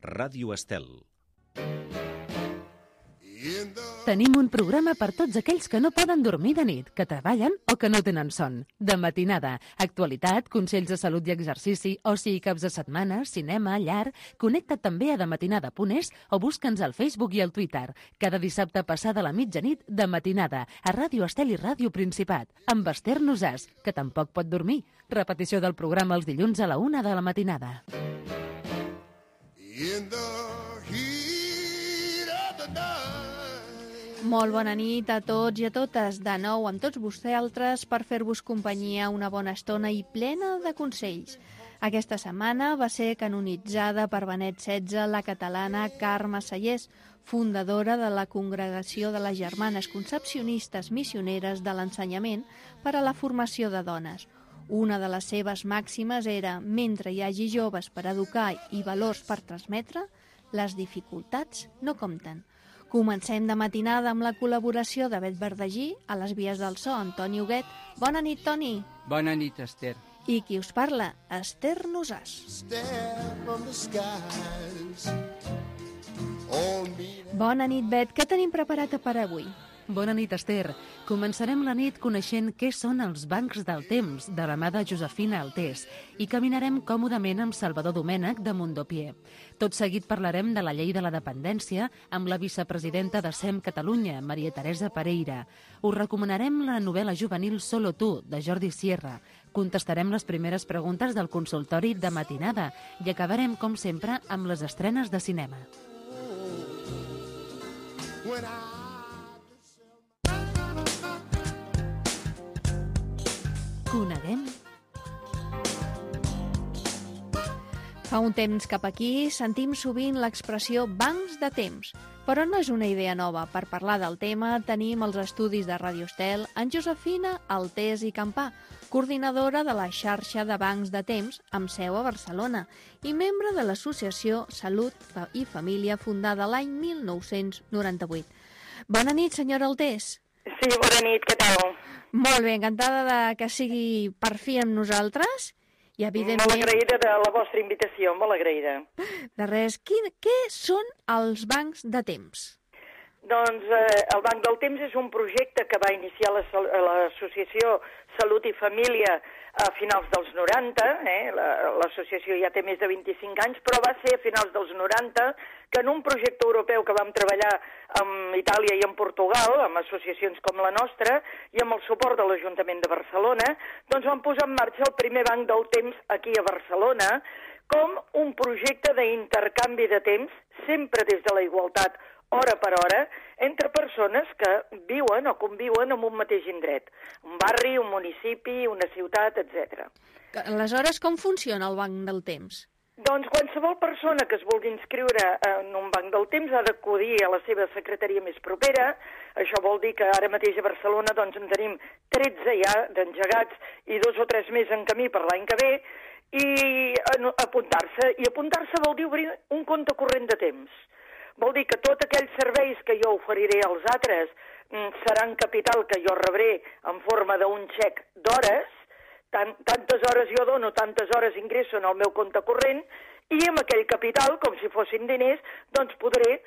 Ràdio Estel. Tenim un programa per tots aquells que no poden dormir de nit, que treballen o que no tenen son. De matinada, actualitat, consells de salut i exercici, oci i caps de setmana, cinema, llar... Connecta't també a dematinada.es o busca'ns al Facebook i al Twitter. Cada dissabte passada la mitjanit, de matinada, a Ràdio Estel i Ràdio Principat, amb Esther Nosàs, que tampoc pot dormir. Repetició del programa els dilluns a la 1 de la matinada. Molt bona nit a tots i a totes, de nou amb tots vosaltres per fer-vos companyia una bona estona i plena de consells. Aquesta setmana va ser canonitzada per Benet XVI la catalana Carme Sallés, fundadora de la Congregació de les Germanes Concepcionistes Missioneres de l'Ensenyament per a la formació de dones. Una de les seves màximes era, mentre hi hagi joves per educar i valors per transmetre, les dificultats no compten. Comencem de matinada amb la col·laboració de Bet Verdagí, a les vies del so, Antoni Huguet. Bona nit, Toni. Bona nit, Esther. I qui us parla, Esther Nosàs. Bona nit, Bet. Què tenim preparat per avui? Bona nit, Esther. Començarem la nit coneixent què són els bancs del temps, de la mà de Josefina Altés, i caminarem còmodament amb Salvador Domènech de Mundopié. Tot seguit parlarem de la llei de la dependència amb la vicepresidenta de SEM Catalunya, Maria Teresa Pereira. Us recomanarem la novel·la juvenil Solo tu, de Jordi Sierra. Contestarem les primeres preguntes del consultori de matinada i acabarem, com sempre, amb les estrenes de cinema. Coneguem. Fa un temps cap aquí sentim sovint l'expressió bancs de temps, però no és una idea nova. Per parlar del tema tenim els estudis de Ràdio Estel en Josefina Altés i Campà, coordinadora de la xarxa de bancs de temps amb seu a Barcelona i membre de l'associació Salut i Família fundada l'any 1998. Bona nit, senyora Altés. Sí, bona nit, què tal? Molt bé, encantada de que sigui per fi amb nosaltres i evidentment... Molt agraïda de la vostra invitació, molt agraïda. De res, què són els bancs de temps? Doncs el Banc del Temps és un projecte que va iniciar l'associació Salut i Família a finals dels 90, l'associació ja té més de 25 anys, però va ser a finals dels 90 que en un projecte europeu que vam treballar amb Itàlia i amb Portugal, amb associacions com la nostra, i amb el suport de l'Ajuntament de Barcelona, doncs vam posar en marxa el primer Banc del Temps aquí a Barcelona com un projecte d'intercanvi de temps, sempre des de la igualtat, hora per hora, entre persones que viuen o conviuen en un mateix indret. Un barri, un municipi, una ciutat, etc. Aleshores, com funciona el Banc del Temps? Doncs qualsevol persona que es vulgui inscriure en un banc del temps ha d'acudir a la seva secretaria més propera. Això vol dir que ara mateix a Barcelona doncs, en tenim 13 ja d'engegats i 2 o 3 més en camí per l'any que ve, i apuntar-se. I apuntar-se vol dir obrir un compte corrent de temps. Vol dir que tots aquells serveis que jo oferiré als altres seran capital que jo rebré en forma d'un xec d'hores, tantes hores jo dono, tantes hores ingresso en el meu compte corrent, i amb aquell capital, com si fossin diners, doncs podré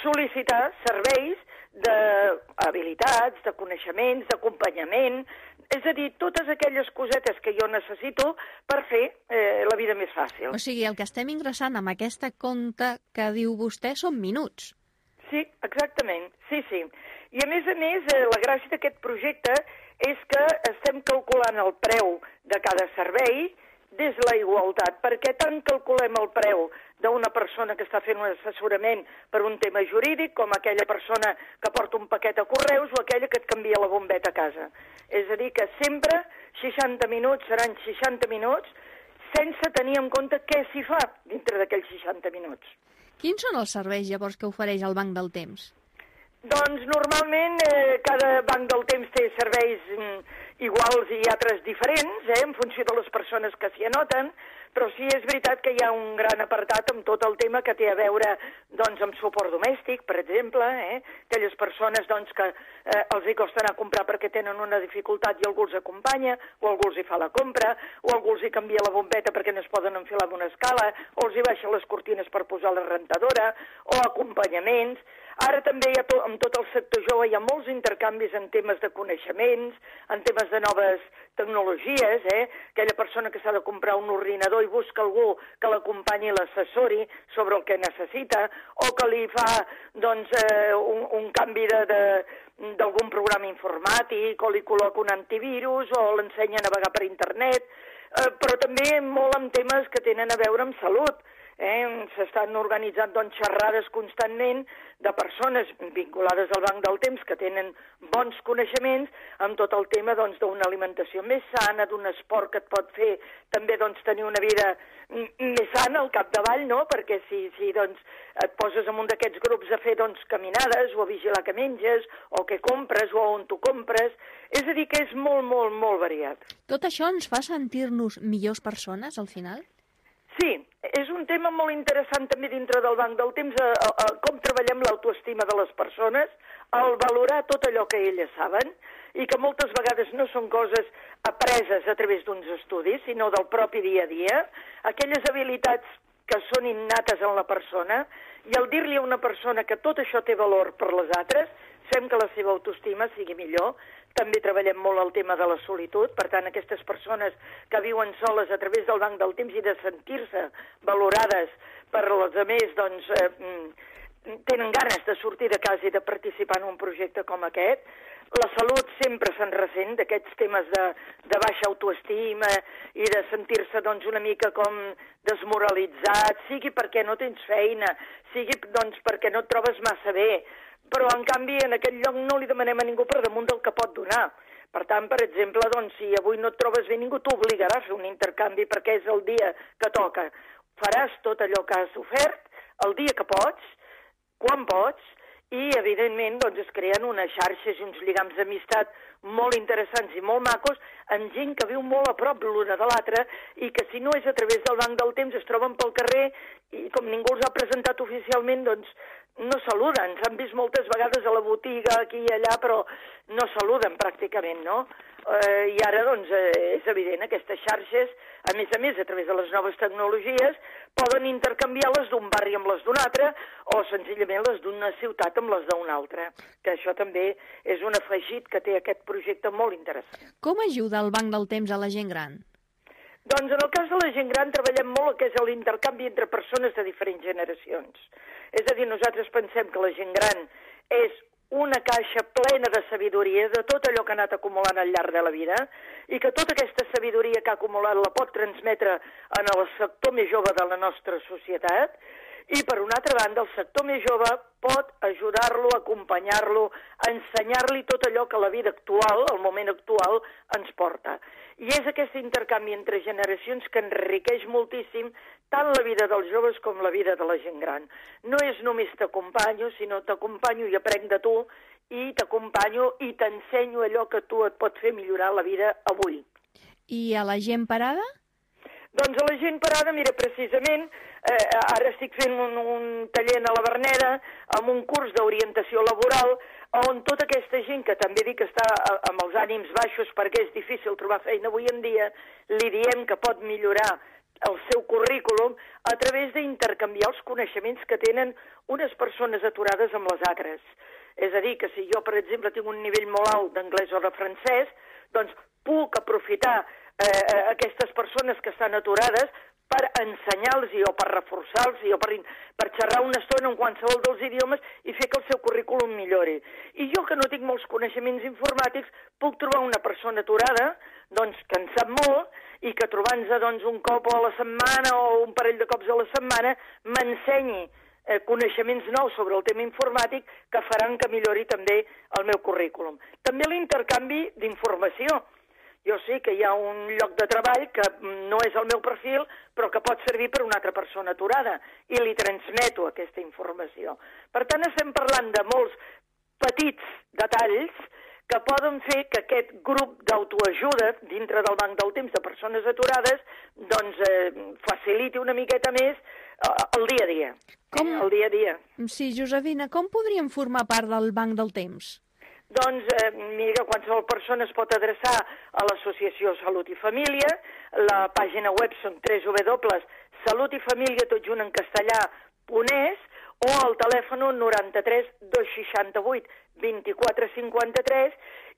sol·licitar serveis d'habilitats, de coneixements, d'acompanyament, és a dir, totes aquelles cosetes que jo necessito per fer la vida més fàcil. O sigui, el que estem ingressant amb aquesta compte que diu vostè són minuts. Sí, exactament, sí. I a més, la gràcia d'aquest projecte és que estem calculant el preu de cada servei des de la igualtat, perquè tant calculem el preu d'una persona que està fent un assessorament per un tema jurídic com aquella persona que porta un paquet a correus o aquella que et canvia la bombeta a casa. És a dir, que sempre 60 minuts seran 60 minuts sense tenir en compte què s'hi fa dintre d'aquells 60 minuts. Quins són els serveis llavors que ofereix el Banc del Temps? Doncs normalment cada banc del temps té serveis iguals i altres diferents, en funció de les persones que s'hi anoten, però sí és veritat que hi ha un gran apartat amb tot el tema que té a veure doncs, amb suport domèstic, per exemple, aquelles persones doncs, que els hi costa anar a comprar perquè tenen una dificultat i algú els acompanya, o algú els hi fa la compra, o algú els hi canvia la bombeta perquè no es poden enfilar d'una escala, o els hi baixa les cortines per posar la rentadora, o acompanyaments. Ara també amb tot el sector jove hi ha molts intercanvis en temes de coneixements, en temes de noves tecnologies, aquella persona que s'ha de comprar un ordinador i busca algú que l'acompanyi i l'assessori sobre el que necessita, o que li fa doncs, un canvi d'algun programa informàtic, o li col·loca un antivirus, o l'ensenya a navegar per internet, però també molt amb temes que tenen a veure amb salut. S'estan organitzant doncs, xerrades constantment de persones vinculades al Banc del Temps que tenen bons coneixements amb tot el tema doncs, d'una alimentació més sana, d'un esport que et pot fer també doncs, tenir una vida més sana al capdavall, no? Perquè si doncs, et poses en un d'aquests grups a fer doncs, caminades o a vigilar que menges o què compres o on tu compres, és a dir que és molt, molt, molt variat. Tot això ens fa sentir-nos millors persones al final? Sí, és un tema molt interessant també dintre del Banc del Temps, com treballem l'autoestima de les persones, el valorar tot allò que elles saben i que moltes vegades no són coses apreses a través d'uns estudis, sinó del propi dia a dia, aquelles habilitats que són innates en la persona, i al dir-li a una persona que tot això té valor per les altres, fem que la seva autoestima sigui millor. També treballem molt el tema de la solitud, per tant, aquestes persones que viuen soles a través del Banc del Temps i de sentir-se valorades per les altres, doncs, tenen ganes de sortir de casa i de participar en un projecte com aquest. La salut sempre se'n ressent d'aquests temes de baixa autoestima i de sentir-se doncs, una mica com desmoralitzat, sigui perquè no tens feina, sigui doncs, perquè no et trobes massa bé, però en canvi en aquest lloc no li demanem a ningú per damunt del que pot donar. Per tant, per exemple, doncs, si avui no et trobes bé, ningú t'obligarà a fer un intercanvi perquè és el dia que toca. Faràs tot allò que has ofert, el dia que pots, quan pots, i, evidentment, doncs, es creen unes xarxes i uns lligams d'amistat molt interessants i molt macos amb gent que viu molt a prop l'una de l'altra i que, si no és a través del Banc del Temps, es troben pel carrer i, com ningú els ha presentat oficialment, doncs, no saluden. S'han vist moltes vegades a la botiga, aquí i allà, però no saluden pràcticament, no? I ara, doncs, és evident, aquestes xarxes, a més, a través de les noves tecnologies, poden intercanviar les d'un barri amb les d'un altre o senzillament les d'una ciutat amb les d'una altra, que això també és un afegit que té aquest projecte molt interessant. Com ajuda el Banc del Temps a la gent gran? Doncs en el cas de la gent gran treballem molt el que és l'intercanvi entre persones de diferents generacions. És a dir, nosaltres pensem que la gent gran és una caixa plena de sabidoria de tot allò que ha anat acumulant al llarg de la vida i que tota aquesta sabidoria que ha acumulat la pot transmetre en el sector més jove de la nostra societat i, per una altra banda, el sector més jove pot ajudar-lo, acompanyar-lo, ensenyar-li tot allò que la vida actual, el moment actual, ens porta. I és aquest intercanvi entre generacions que enriqueix moltíssim tant la vida dels joves com la vida de la gent gran. No és només t'acompanyo, sinó t'acompanyo i aprenc de tu, i t'acompanyo i t'ensenyo allò que tu et pot fer millorar la vida avui. I a la gent parada? Doncs a la gent parada, mira, precisament, ara estic fent un taller a la Verneda amb un curs d'orientació laboral on tota aquesta gent que també dic que està amb els ànims baixos perquè és difícil trobar feina avui en dia, li diem que pot millorar el seu currículum a través d'intercanviar els coneixements que tenen unes persones aturades amb les altres. És a dir, que si jo, per exemple, tinc un nivell molt alt d'anglès o de francès, doncs puc aprofitar aquestes persones que estan aturades per ensenyar-los o per reforçar-los o per xerrar una estona en qualsevol dels idiomes i fer que el seu currículum millori. I jo, que no tinc molts coneixements informàtics, puc trobar una persona aturada doncs, que en sap molt i que trobant-se doncs, un cop a la setmana o un parell de cops a la setmana m'ensenyi coneixements nous sobre el tema informàtic que faran que millori també el meu currículum. També l'intercanvi d'informació. Jo sé que hi ha un lloc de treball que no és el meu perfil, però que pot servir per una altra persona aturada, i li transmeto aquesta informació. Per tant, estem parlant de molts petits detalls que poden fer que aquest grup d'autoajuda dintre del Banc del Temps de persones aturades doncs faciliti una miqueta més el dia a dia. El dia a dia. Sí, Josefina, com podríem formar part del Banc del Temps? Doncs, mira, qualsevol persona es pot adreçar a l'Associació Salut i Família, la pàgina web són www.salutifamilia, tot junt en castellà.es, o al telèfon 93 268 24 53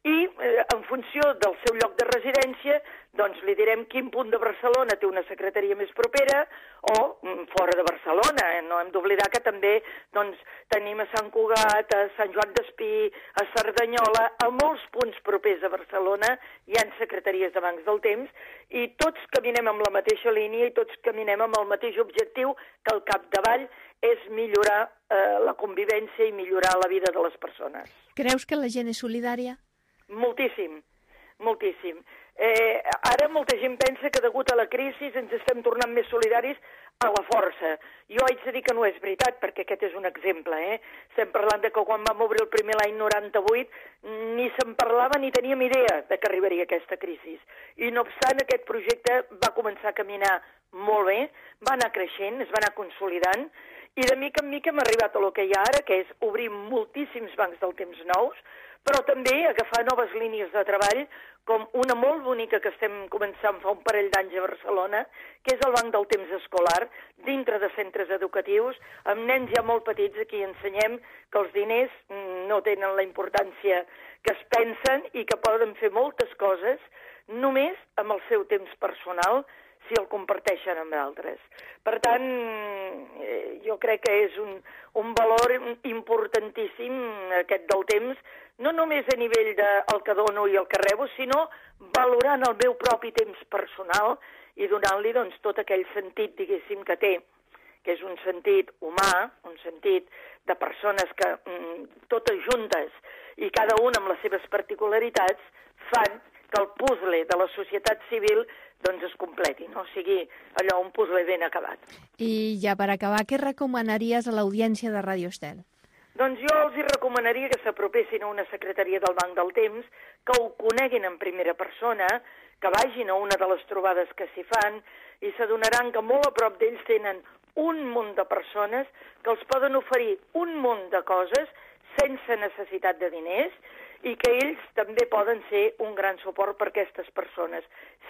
i en funció del seu lloc de residència doncs li direm quin punt de Barcelona té una secretaria més propera o fora de Barcelona. No hem d'oblidar que també doncs, tenim a Sant Cugat, a Sant Joan d'Espí, a Cerdanyola, a molts punts propers a Barcelona hi ha secretaries de bancs del temps i tots caminem amb la mateixa línia i tots caminem amb el mateix objectiu, que al capdavall és millorar la convivència i millorar la vida de les persones. Creus que la gent és solidària? Moltíssim, moltíssim. Ara molta gent pensa que degut a la crisi ens estem tornant més solidaris a la força. Jo haig de dir que no és veritat, perquè aquest és un exemple. Estem parlant de que quan vam obrir el primer l'any 98 ni se'n parlava ni teníem idea de que arribaria aquesta crisi. I no obstant, aquest projecte va començar a caminar molt bé, va anar creixent, es va anar consolidant, i de mica en mica hem arribat a lo que hi ha ara, que és obrir moltíssims bancs del temps nous, però també agafar noves línies de treball, com una molt bonica que estem començant fa un parell d'anys a Barcelona, que és el Banc del Temps Escolar, dintre de centres educatius, amb nens ja molt petits a qui ensenyem que els diners no tenen la importància que es pensen i que poden fer moltes coses només amb el seu temps personal, si el comparteixen amb d'altres. Per tant, jo crec que és un valor importantíssim aquest del temps, no només a nivell del que dono i el que rebo, sinó valorant el meu propi temps personal i donant-li doncs, tot aquell sentit, diguéssim, que té, que és un sentit humà, un sentit de persones que totes juntes i cada una amb les seves particularitats fan que el puzzle de la societat civil doncs es completi, no? O sigui, allò, un puzzle ben acabat. I ja per acabar, què recomanaries a l'audiència de Ràdio Estel? Doncs jo els recomanaria que s'apropessin a una secretaria del Banc del Temps, que ho coneguin en primera persona, que vagin a una de les trobades que s'hi fan i s'adonaran que molt a prop d'ells tenen un munt de persones que els poden oferir un munt de coses sense necessitat de diners i que ells també poden ser un gran suport per a aquestes persones,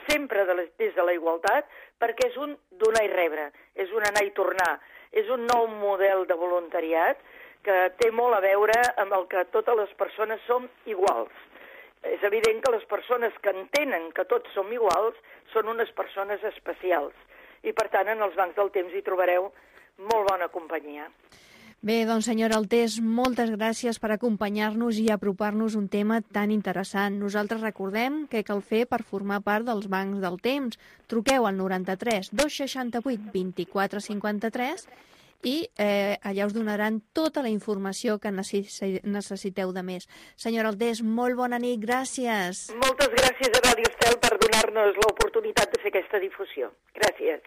sempre des de la igualtat, perquè és un donar i rebre, és un anar i tornar, és un nou model de voluntariat que té molt a veure amb el que totes les persones som iguals. És evident que les persones que entenen que tots som iguals són unes persones especials i, per tant, en els bancs del temps hi trobareu molt bona companyia. Bé, doncs, senyora Altés, moltes gràcies per acompanyar-nos i apropar-nos un tema tan interessant. Nosaltres recordem què cal fer per formar part dels bancs del temps. Truqueu al 93 268 24 53 i allà us donaran tota la informació que necessiteu de més. Senyora Altés, molt bona nit, gràcies. Moltes gràcies a Ràdio Estel per donar-nos l'oportunitat de fer aquesta difusió. Gràcies.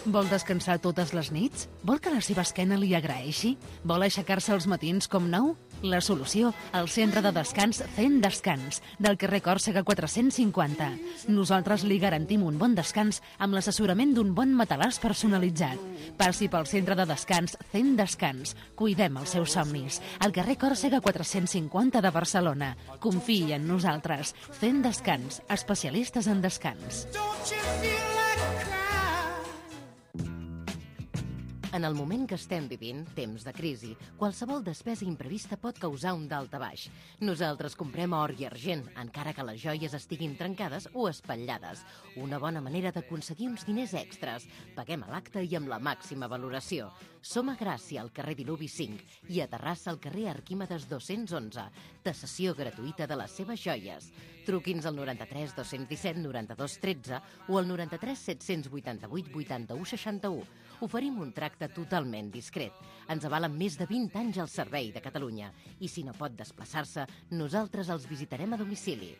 Vol descansar totes les nits? Vol que la seva esquena li agraeixi? Vol aixecar-se als matins com nou? La solució, al centre de descans Zen Descans, del carrer Còrsega 450. Nosaltres li garantim un bon descans amb l'assessorament d'un bon matalàs personalitzat. Passi pel centre de descans Zen Descans. Cuidem els seus somnis. Al carrer Còrsega 450 de Barcelona. Confiï en nosaltres. Zen Descans, especialistes en descans. En el moment que estem vivint, temps de crisi, qualsevol despesa imprevista pot causar un daltabaix. Nosaltres comprem or i argent, encara que les joies estiguin trencades o espatllades. Una bona manera d'aconseguir uns diners extras. Paguem a l'acte i amb la màxima valoració. Som a Gràcia, al carrer Diluvi 5, i a Terrassa, al carrer Arquímedes 211. Tasació gratuïta de les seves joies. Truqui'ns al 93 217 92 13 o al 93 788 81 61. Oferim un tracte totalment discret. Ens avalen més de 20 anys al servei de Catalunya. I si no pot desplaçar-se, nosaltres els visitarem a domicili.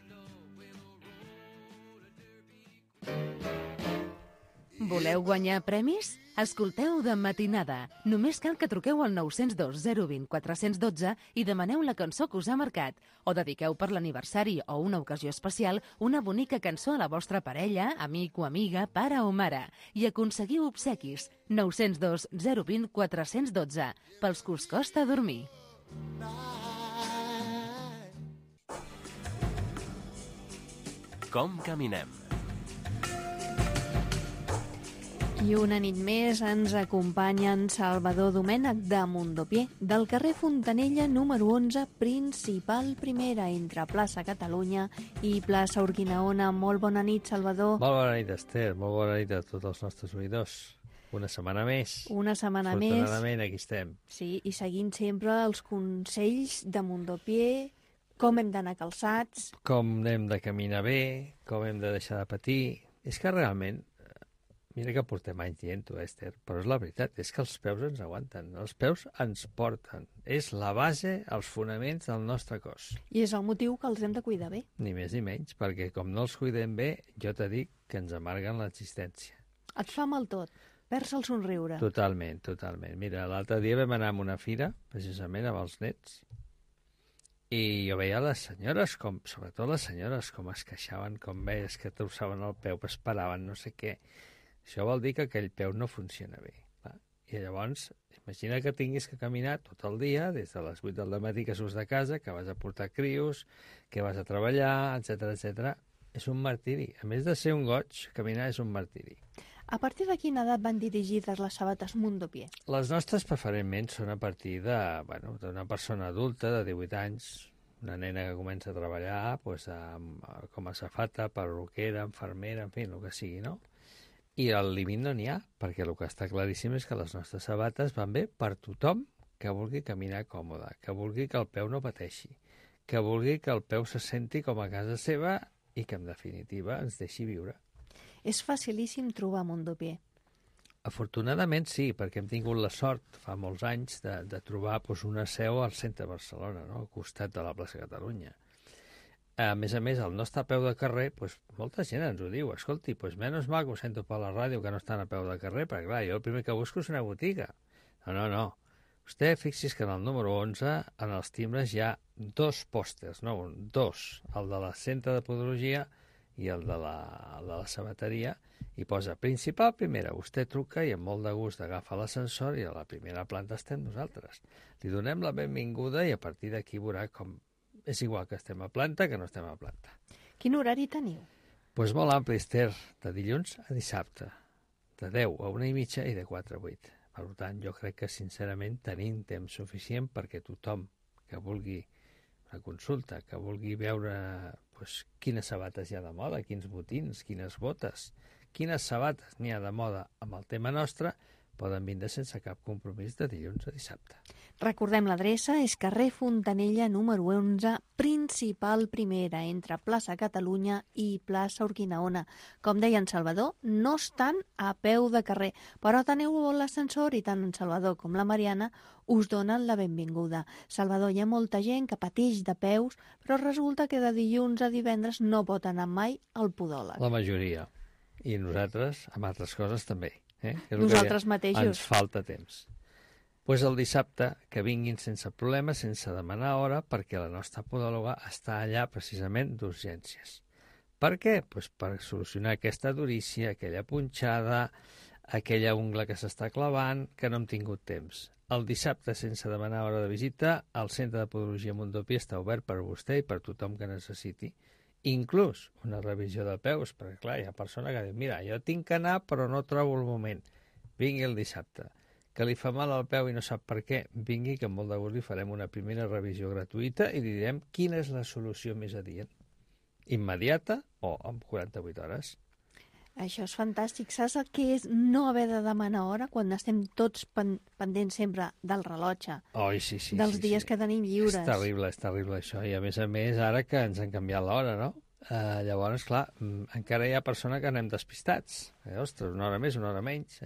Voleu guanyar premis? Escolteu De Matinada. Només cal que truqueu al 902 020 412 i demaneu la cançó que us ha marcat. O dediqueu per l'aniversari o una ocasió especial una bonica cançó a la vostra parella, amic o amiga, pare o mare. I aconseguiu obsequis. 902 020 412. Pels que us costa dormir. Com caminem? I una nit més ens acompanya en Salvador Domènech de Mondopié, del carrer Fontanella número 11, principal primera, entre plaça Catalunya i plaça Urquinaona. Molt bona nit, Salvador. Molt bona nit, Esther. Molt bona nit a tots els nostres oïdors. Una setmana més. Una setmana més. Afortunadament, aquí estem. Sí, i seguint sempre els consells de Mondopié, com hem d'anar calçats. Com hem de caminar bé, com hem de deixar de patir. És que realment, mira que portem anys dient-ho, Esther, però és la veritat, és que els peus ens aguanten, els peus ens porten. És la base, els fonaments del nostre cos. I és el motiu que els hem de cuidar bé. Ni més ni menys, perquè com no els cuidem bé, jo te dic que ens amarguen l'existència. Et fa mal tot, perds el somriure. Totalment, totalment. Mira, l'altre dia vam anar a una fira, precisament amb els nets, i jo veia les senyores, sobretot les senyores, com es queixaven, com veies que torçaven el peu, esperaven no sé què. Això vol dir que aquell peu no funciona bé. Va? I llavors, imagina que tinguis que caminar tot el dia, des de les 8 del matí que surts de casa, que vas a portar crios, que vas a treballar, etc etc. És un martiri. A més de ser un goig, caminar és un martiri. A partir de quina edat van dirigides les sabates Mondopié? Les nostres preferentment són a partir d'una persona adulta de 18 anys, una nena que comença a treballar com a safata, perruquera, infermera, en fi, el que sigui, no? I al límit no n'hi ha, perquè el que està claríssim és que les nostres sabates van bé per tothom que vulgui caminar còmode, que vulgui que el peu no pateixi, que vulgui que el peu se senti com a casa seva i que, en definitiva, ens deixi viure. És facilíssim trobar Mondopié. Afortunadament sí, perquè hem tingut la sort fa molts anys de trobar una seu al centre de Barcelona, no? Al costat de la plaça Catalunya. A més, el nostre peu de carrer, molta gent ens ho diu, escolti, menys mal que ho sento per la ràdio que no estan a peu de carrer, perquè clar, jo el primer que busco és una botiga. No. Vostè fixi's que en el número 11, en els timbres hi ha dos pòsters, no un, dos, el de la centre de podologia i el de la sabateria, i posa principal primera, vostè truca i amb molt de gust agafa l'ascensor i a la primera planta estem nosaltres. Li donem la benvinguda i a partir d'aquí veurà com és igual que estem a planta que no estem a planta. Quin horari teniu? Doncs molt ampli, Esther, de dilluns a dissabte, de 10 a 1:30 i de 4 a 8. Per tant, jo crec que, sincerament, tenim temps suficient perquè tothom que vulgui una consulta, que vulgui veure quines sabates hi ha de moda, quins botins, quines botes, quines sabates n'hi ha de moda amb el tema nostre, poden vindre sense cap compromís de dilluns a dissabte. Recordem l'adreça, és carrer Fontanella número 11, principal primera, entre plaça Catalunya i plaça Urquinaona. Com deia en Salvador, no estan a peu de carrer, però teniu l'ascensor i tant en Salvador com la Mariana us donen la benvinguda. Salvador, hi ha molta gent que pateix de peus, però resulta que de dilluns a divendres no pot anar mai al podòleg. La majoria. I nosaltres, amb altres coses, també. Nosaltres mateixos. Ens falta temps. Doncs el dissabte que vinguin sense problemes, sense demanar hora, perquè la nostra podòloga està allà precisament d'urgències. Per què? Per solucionar aquesta durícia, aquella punxada, aquella ungla que s'està clavant, que no hem tingut temps. El dissabte, sense demanar hora de visita, el Centre de Podologia Mondopié està obert per vostè i per tothom que necessiti. Inclús una revisió de peus, perquè clar, hi ha persona que diu, mira, jo tinc que anar però no trobo el moment. Vingui el dissabte. Que li fa mal al peu i no sap per què, vingui que amb molt de gust li farem una primera revisió gratuïta i li direm quina és la solució més adient. Immediata o en 48 hores. Això és fantàstic. Saps el que és no haver de demanar hora quan estem tots pendents sempre del rellotge? Sí. Dels dies que tenim lliures. És terrible això. I a més, ara que ens han canviat l'hora, no? Llavors, clar, encara hi ha persona que anem despistats. Ostres, una hora més, una hora menys,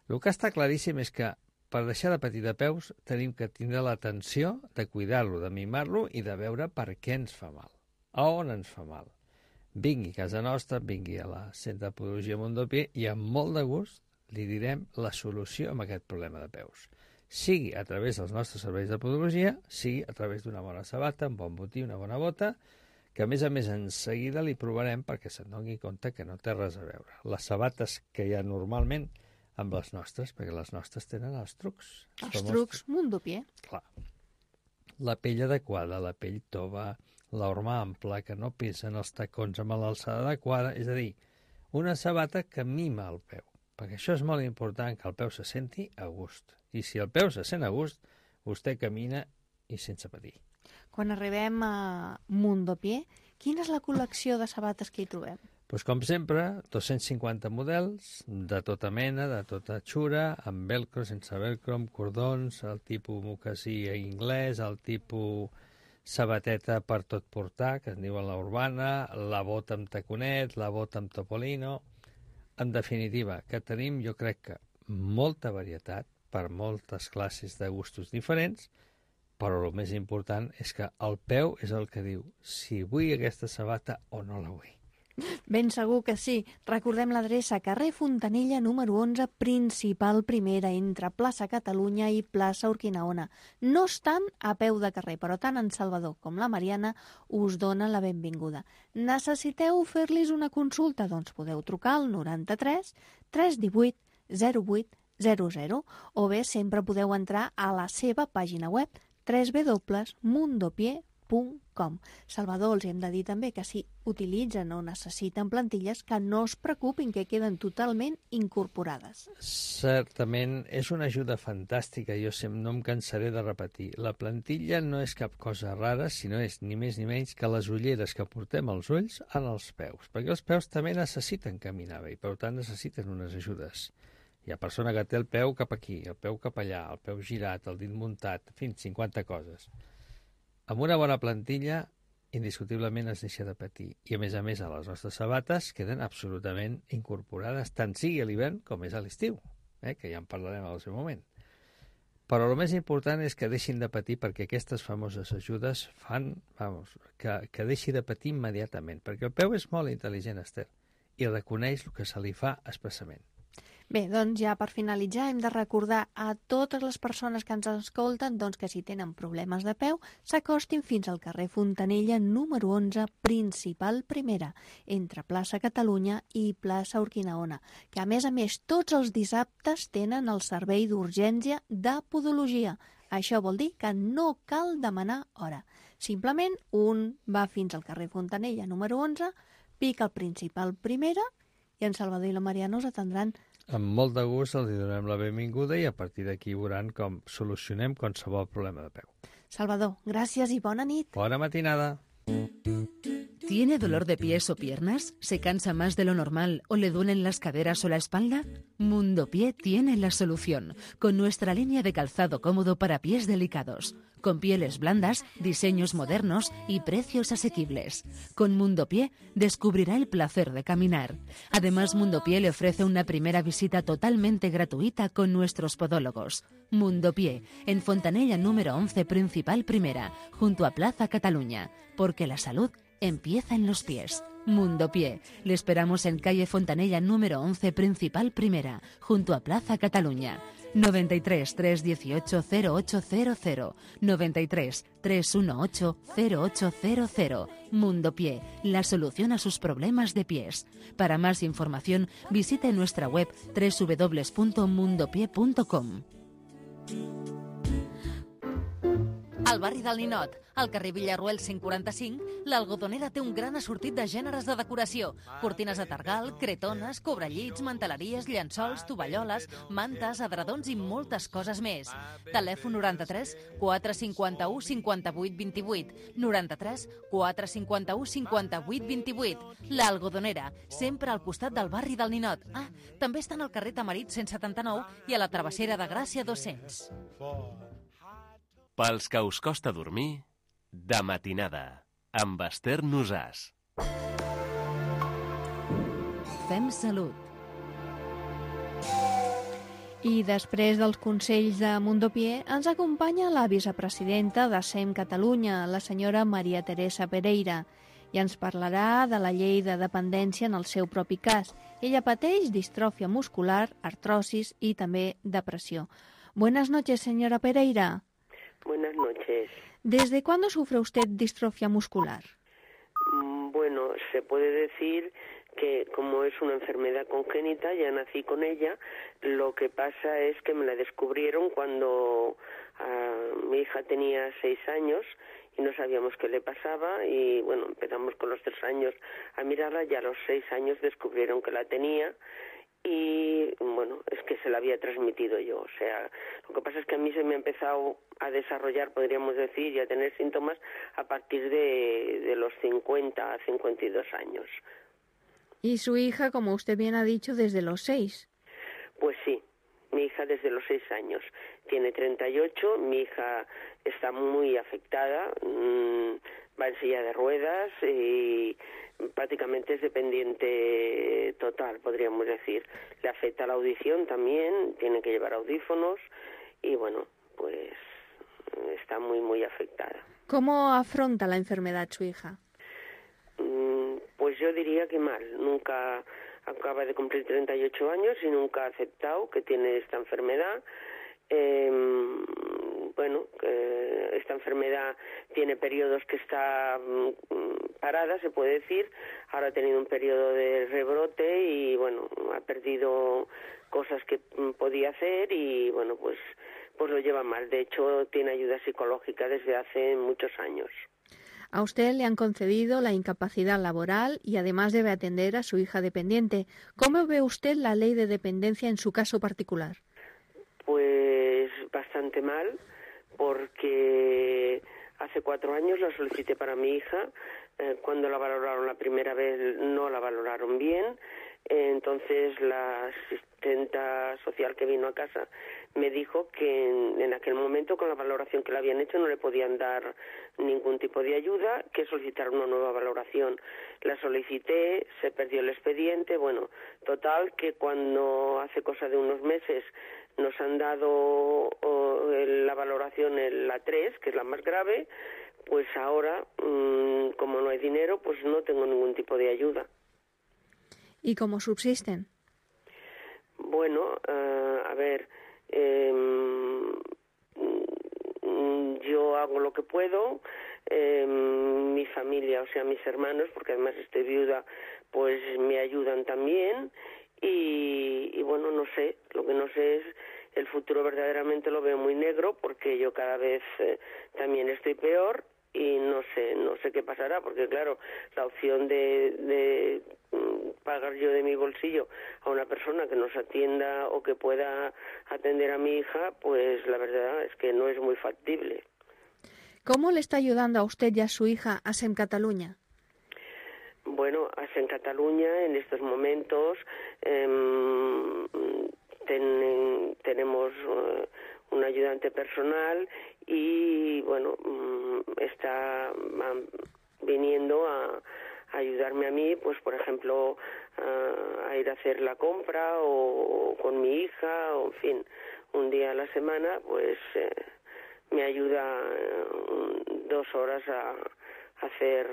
El que està claríssim és que per deixar de patir de peus tenim que tindre l'atenció de cuidar-lo, de mimar-lo i de veure per què ens fa mal. A on ens fa mal. vingui a casa nostra, vingui a la Centre de Podologia Mondopié i amb molt de gust li direm la solució a aquest problema de peus. Sigui a través dels nostres serveis de podologia, sigui a través d'una bona sabata, un bon botí, una bona bota, que a més en seguida li provarem perquè se'n doni compte que no té res a veure. Les sabates que hi ha normalment amb les nostres, perquè les nostres tenen els trucs. Els trucs Mondopié. Clar. La pell adequada, la pell tova, l'horma ampla, que no pesen els tacons amb l'alçada adequada, és a dir, una sabata que mima el peu, perquè això és molt important, que el peu se senti a gust. I si el peu se sent a gust, vostè camina i sense patir. Quan arribem a Mondopié, quina és la col·lecció de sabates que hi trobem? Doncs com sempre, 250 models, de tota mena, de tota xura, amb velcro, sense velcro, amb cordons, el tipus mocasí anglès, el tipus sabateta per tot portar, que es diuen la urbana, la bota amb taconet, la bota amb topolino. En definitiva, que tenim, jo crec que, molta varietat per moltes classes de gustos diferents, però el més important és que el peu és el que diu si vull aquesta sabata o no la vull. Ben segur que sí. Recordem l'adreça: carrer Fontanella número 11, principal primera, entre plaça Catalunya i plaça Urquinaona. No estan a peu de carrer, però tant en Salvador com la Mariana us donen la benvinguda. Necessiteu fer-los una consulta? Doncs podeu trucar al 93 318 08 00 o bé sempre podeu entrar a la seva pàgina web www.mondopié.com. Salvador, els hem de dir també que si utilitzen o necessiten plantilles, que no es preocupin, que queden totalment incorporades. Certament, és una ajuda fantàstica, jo no em cansaré de repetir. La plantilla no és cap cosa rara, sinó és ni més ni menys que les ulleres que portem als ulls en els peus, perquè els peus també necessiten caminar bé i per tant necessiten unes ajudes. Hi ha persona que té el peu cap aquí, el peu cap allà, el peu girat, el dit muntat, en fi, 50 coses. Amb una bona plantilla, indiscutiblement es deixa de patir. I, a més, a les nostres sabates queden absolutament incorporades, tant sigui a l'hivern com és a l'estiu, que ja en parlarem al seu moment. Però el més important és que deixin de patir perquè aquestes famoses ajudes fan, que deixi de patir immediatament, perquè el peu és molt intel·ligent, Esther, i reconeix el que se li fa expressament. Bé, doncs ja per finalitzar hem de recordar a totes les persones que ens escolten que si tenen problemes de peu s'acostin fins al carrer Fontanella número 11, principal primera, entre plaça Catalunya i plaça Urquinaona, que a més tots els dissabtes tenen el servei d'urgència de podologia. Això vol dir que no cal demanar hora. Simplement un va fins al carrer Fontanella número 11, pica al principal primera i en Salvador i la Mariana us atendran. Amb molt de gust els donem la benvinguda i a partir d'aquí veuran com solucionem qualsevol problema de peu. Salvador, gràcies i bona nit. Bona matinada. ¿Tiene dolor de pies o piernas? ¿Se cansa más de lo normal o le duelen las caderas o la espalda? Mondopié tiene la solución, con nuestra línea de calzado cómodo para pies delicados, con pieles blandas, diseños modernos y precios asequibles. Con Mondopié descubrirá el placer de caminar. Además, Mondopié le ofrece una primera visita totalmente gratuita con nuestros podólogos. Mondopié, en Fontanella número 11, principal primera, junto a Plaza Cataluña, porque la salud empieza en los pies. Mondopié. Le esperamos en calle Fontanella número 11, principal primera, junto a Plaza Cataluña. 93 318 0800, 93 318 0800. Mondopié, la solución a sus problemas de pies. Para más información, visite nuestra web www.mondopié.com. Al barri del Ninot, al carrer Villarruel 145, l'Algodonera té un gran assortit de gèneres de decoració. Cortines de targal, cretones, cobrellits, manteleries, llençols, tovalloles, mantes, adredons i moltes coses més. Telèfon 93 451 58 28. 93 451 58 28. L'Algodonera, sempre al costat del barri del Ninot. També estan al carrer Tamarit 179 i a la Travessera de Gràcia 200. Pels que us costa dormir, de matinada, amb Esther Nosàs. Fem salut. I després dels consells de Mondopié ens acompanya la vicepresidenta de SEM Catalunya, la senyora Maria Teresa Pereira. i ens parlarà de la llei de dependència en el seu propi cas. Ella pateix distròfia muscular, artrosis y també depressió. Buenas noches, señora Pereira. Buenas noches. ¿Desde cuándo sufre usted distrofia muscular? Bueno, se puede decir que como es una enfermedad congénita, ya nací con ella. Lo que pasa es que me la descubrieron cuando mi hija tenía 6 años y no sabíamos qué le pasaba y bueno, empezamos con los 3 años a mirarla y a los 6 años descubrieron que la tenía y bueno, es que se la había transmitido yo. O sea, lo que pasa es que a mí se me ha empezado a desarrollar, podríamos decir, y a tener síntomas a partir de los 50 a 52 años. Y su hija, como usted bien ha dicho, desde los 6. Pues sí, mi hija desde los 6 años. Tiene 38, mi hija está muy afectada, va en silla de ruedas y prácticamente es dependiente total, podríamos decir. Le afecta la audición también, tiene que llevar audífonos y bueno, pues está muy, muy afectada. ¿Cómo afronta la enfermedad su hija? Pues yo diría que mal. Nunca acaba de cumplir 38 años y nunca ha aceptado que tiene esta enfermedad. Bueno, esta enfermedad tiene periodos que está parada, se puede decir. Ahora ha tenido un periodo de rebrote y, bueno, ha perdido cosas que podía hacer y, bueno, pues lo lleva mal. De hecho, tiene ayuda psicológica desde hace muchos años. A usted le han concedido la incapacidad laboral y además debe atender a su hija dependiente. ¿Cómo ve usted la ley de dependencia en su caso particular? Pues bastante mal, porque hace 4 años la solicité para mi hija. Cuando la valoraron la primera vez no la valoraron bien. Entonces la asistenta social que vino a casa me dijo que en aquel momento con la valoración que le habían hecho no le podían dar ningún tipo de ayuda, que solicitara una nueva valoración. La solicité, se perdió el expediente, bueno, total que cuando hace cosa de unos meses nos han dado la valoración en la 3, que es la más grave, pues ahora, como no hay dinero, pues no tengo ningún tipo de ayuda. ¿Y cómo subsisten? Bueno, a ver, yo hago lo que puedo, mi familia, o sea, mis hermanos, porque además estoy viuda, pues me ayudan también y bueno, no sé, lo que no sé es el futuro verdaderamente lo veo muy negro porque yo cada vez también estoy peor y no sé qué pasará, porque claro, la opción de pagar yo de mi bolsillo a una persona que nos atienda o que pueda atender a mi hija, pues la verdad es que no es muy factible. ¿Cómo le está ayudando a usted y a su hija ASEM Catalunya? Bueno, ASEM Catalunya en estos momentos tenemos un ayudante personal y bueno, está viniendo a ayudarme a mí, pues por ejemplo, a ir a hacer la compra o con mi hija, o en fin, un día a la semana, pues me ayuda 2 horas a hacer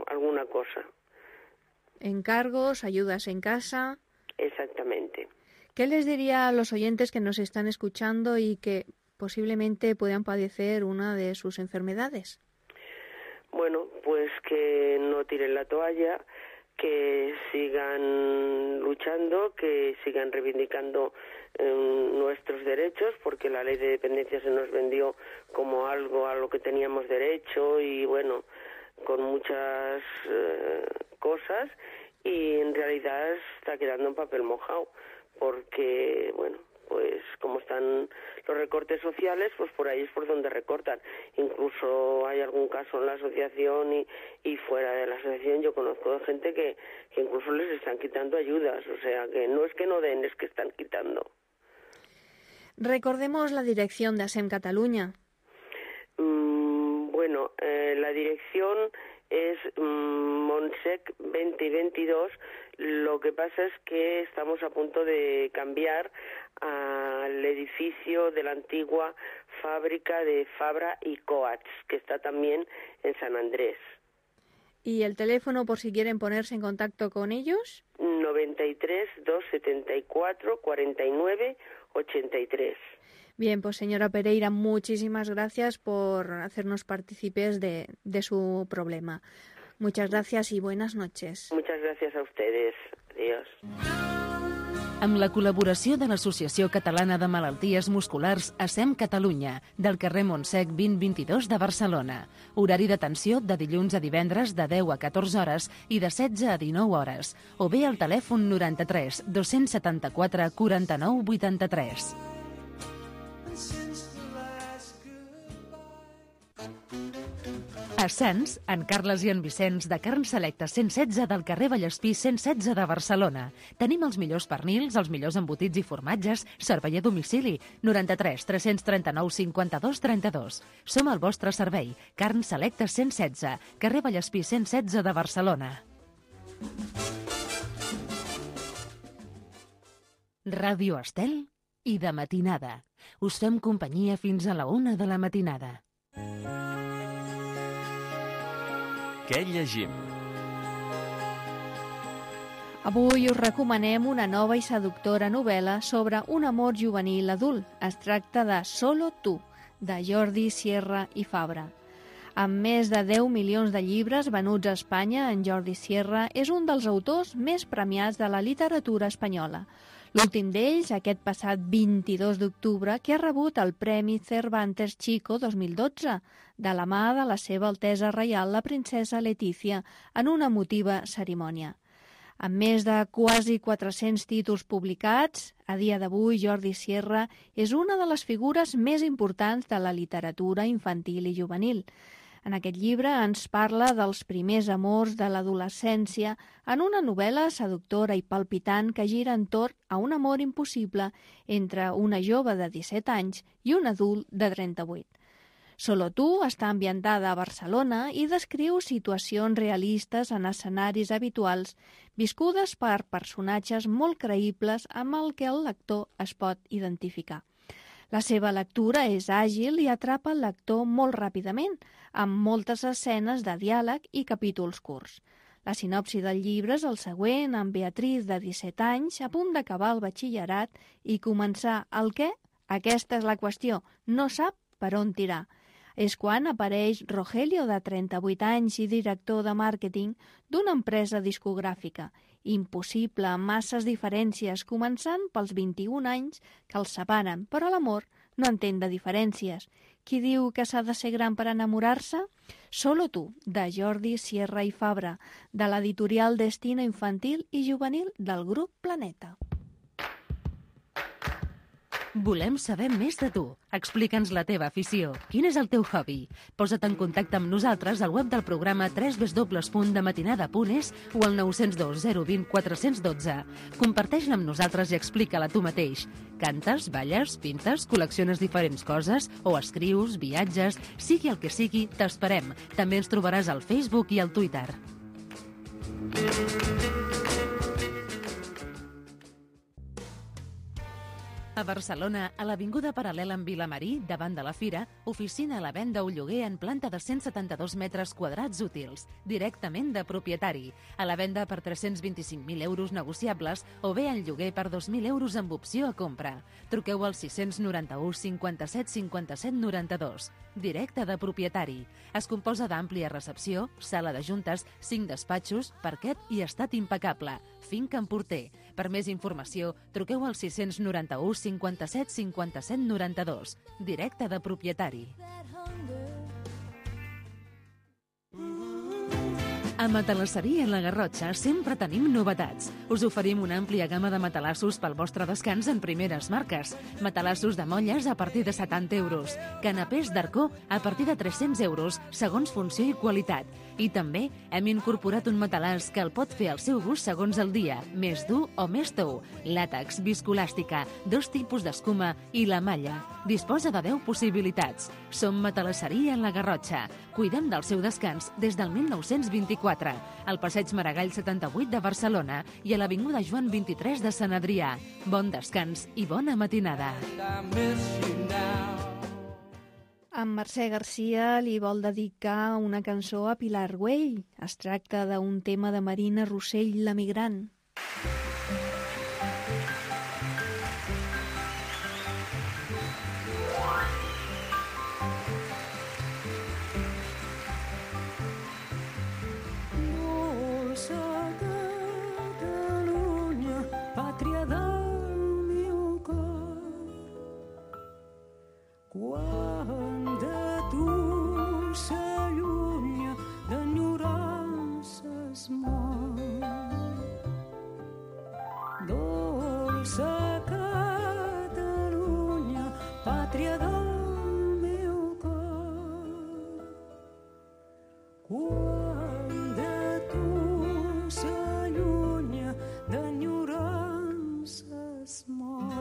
alguna cosa. Encargos, ayudas en casa. Exactamente. ¿Qué les diría a los oyentes que nos están escuchando y que posiblemente puedan padecer una de sus enfermedades? Bueno, pues que no tiren la toalla, que sigan luchando, que sigan reivindicando nuestros derechos, porque la ley de dependencia se nos vendió como algo a lo que teníamos derecho y bueno, con muchas cosas y en realidad está quedando en papel mojado, porque bueno, pues como están los recortes sociales, pues por ahí es por donde recortan. Incluso hay algún caso en la asociación y fuera de la asociación yo conozco de gente que incluso les están quitando ayudas, o sea que no es que no den, es que están quitando. Recordemos la dirección de ASEM Catalunya. Bueno, la dirección es Montsec 2022. Lo que pasa es que estamos a punto de cambiar al edificio de la antigua fábrica de Fabra y Coats, que está también en San Andrés. ¿Y el teléfono por si quieren ponerse en contacto con ellos? 93 274 49 83. Bien, pues señora Pereira, muchísimas gracias por hacernos partícipes de su problema. Muchas gracias y buenas noches. Muchas gracias a ustedes. Adiós. Amb la col·laboració de l'Associació Catalana de Malalties Musculars ASEM Catalunya, del carrer Montsec 2022 de Barcelona. Horari d'atenció de dilluns a divendres de 10 a 14 hores i de 16 a 19 hores. O bé al telèfon 93 274 49 83. A Sants, en Carles i en Vicenç, de Carn Selecta 116 del carrer Vallespí 116 de Barcelona. Tenim els millors pernils, els millors embotits i formatges, servei a domicili, 93 339 52 32. Som al vostre servei, Carn Selecta 116, carrer Vallespí 116 de Barcelona. Ràdio Estel i de matinada. Us fem companyia fins a la 1 de la matinada. Què llegim? Avui us recomanem una nova i seductora novel·la sobre un amor juvenil adult. Es tracta de Solo tu, de Jordi Sierra i Fabra. Amb més de 10 milions de llibres venuts a Espanya, en Jordi Sierra és un dels autors més premiats de la literatura espanyola. L'últim d'ells, aquest passat 22 d'octubre, que ha rebut el Premi Cervantes Chico 2012, de la mà de la seva Altesa Reial, la princesa Letícia, en una emotiva cerimònia. Amb més de quasi 400 títols publicats, a dia d'avui Jordi Sierra és una de les figures més importants de la literatura infantil i juvenil. En aquest llibre ens parla dels primers amors de l'adolescència en una novel·la seductora i palpitant que gira entorn a un amor impossible entre una jove de 17 anys i un adult de 38. Solo tu està ambientada a Barcelona i descriu situacions realistes en escenaris habituals viscudes per personatges molt creïbles amb el que el lector es pot identificar. La seva lectura és àgil i atrapa el lector molt ràpidament, amb moltes escenes de diàleg i capítols curts. La sinopsi del llibre és el següent, amb Beatriz, de 17 anys, a punt d'acabar el batxillerat i començar el què? Aquesta és la qüestió, no sap per on tirar. És quan apareix Rogelio, de 38 anys i director de màrqueting d'una empresa discogràfica. Impossible, amb masses diferències, començant pels 21 anys que els separen, però l'amor no entén de diferències. Qui diu que s'ha de ser gran per enamorar-se? Solo tu, de Jordi Sierra i Fabra, de l'editorial Destino Infantil i Juvenil del grup Planeta. Volem saber més de tu. Explica'ns la teva afició. Quin és el teu hobby? Posa't en contacte amb nosaltres al web del programa www.dematinada.es o al 902 020 412. Comparteix-la amb nosaltres i explica-la tu mateix. Cantes, balles, pintes, col·lecciones diferents coses o escrius, viatges... Sigui el que sigui, t'esperem. També ens trobaràs al Facebook i al Twitter. A Barcelona, a l'Avinguda Paral·lela amb Vilamarí, davant de la Fira, oficina a la venda o lloguer en planta de 172 metres quadrats útils, directament de propietari. A la venda per 325.000 euros negociables o bé en lloguer per 2.000 euros amb opció a compra. Truqueu al 691 57 57 92. Directe de propietari. Es composa d'àmplia recepció, sala de juntes, 5 despatxos, parquet i estat impecable. Finca en Porter. Per més informació, truqueu al 691 57 57 92. Directe de propietari. A Matalasseria La Garrotxa sempre tenim novetats. Us oferim una àmplia gamma de matalassos pel vostre descans en primeres marques. Matalassos de molles a partir de 70 euros. Canapés d'arcó a partir de 300 euros, segons funció i qualitat. I també hem incorporat un matalàs que el pot fer al seu gust segons el dia, més dur o més tou. Làtex, viscolàstica, 2 tipus d'escuma i la malla. Disposa de 10 possibilitats. Som Matalasseria La Garrotxa. Cuidem del seu descans des del 1924. Al passeig Maragall 78 de Barcelona i a l'avinguda Joan 23 de Sant Adrià. Bon descans i bona matinada. En Mercè Garcia li vol dedicar una cançó a Pilar Güell. Es tracta d'un tema de Marina Rossell, l'emigrant. Quan de tu s'allunya d'enyorances mort, dolça Catalunya, pàtria del meu cor. Quan de tu s'allunya d'enyorances mort.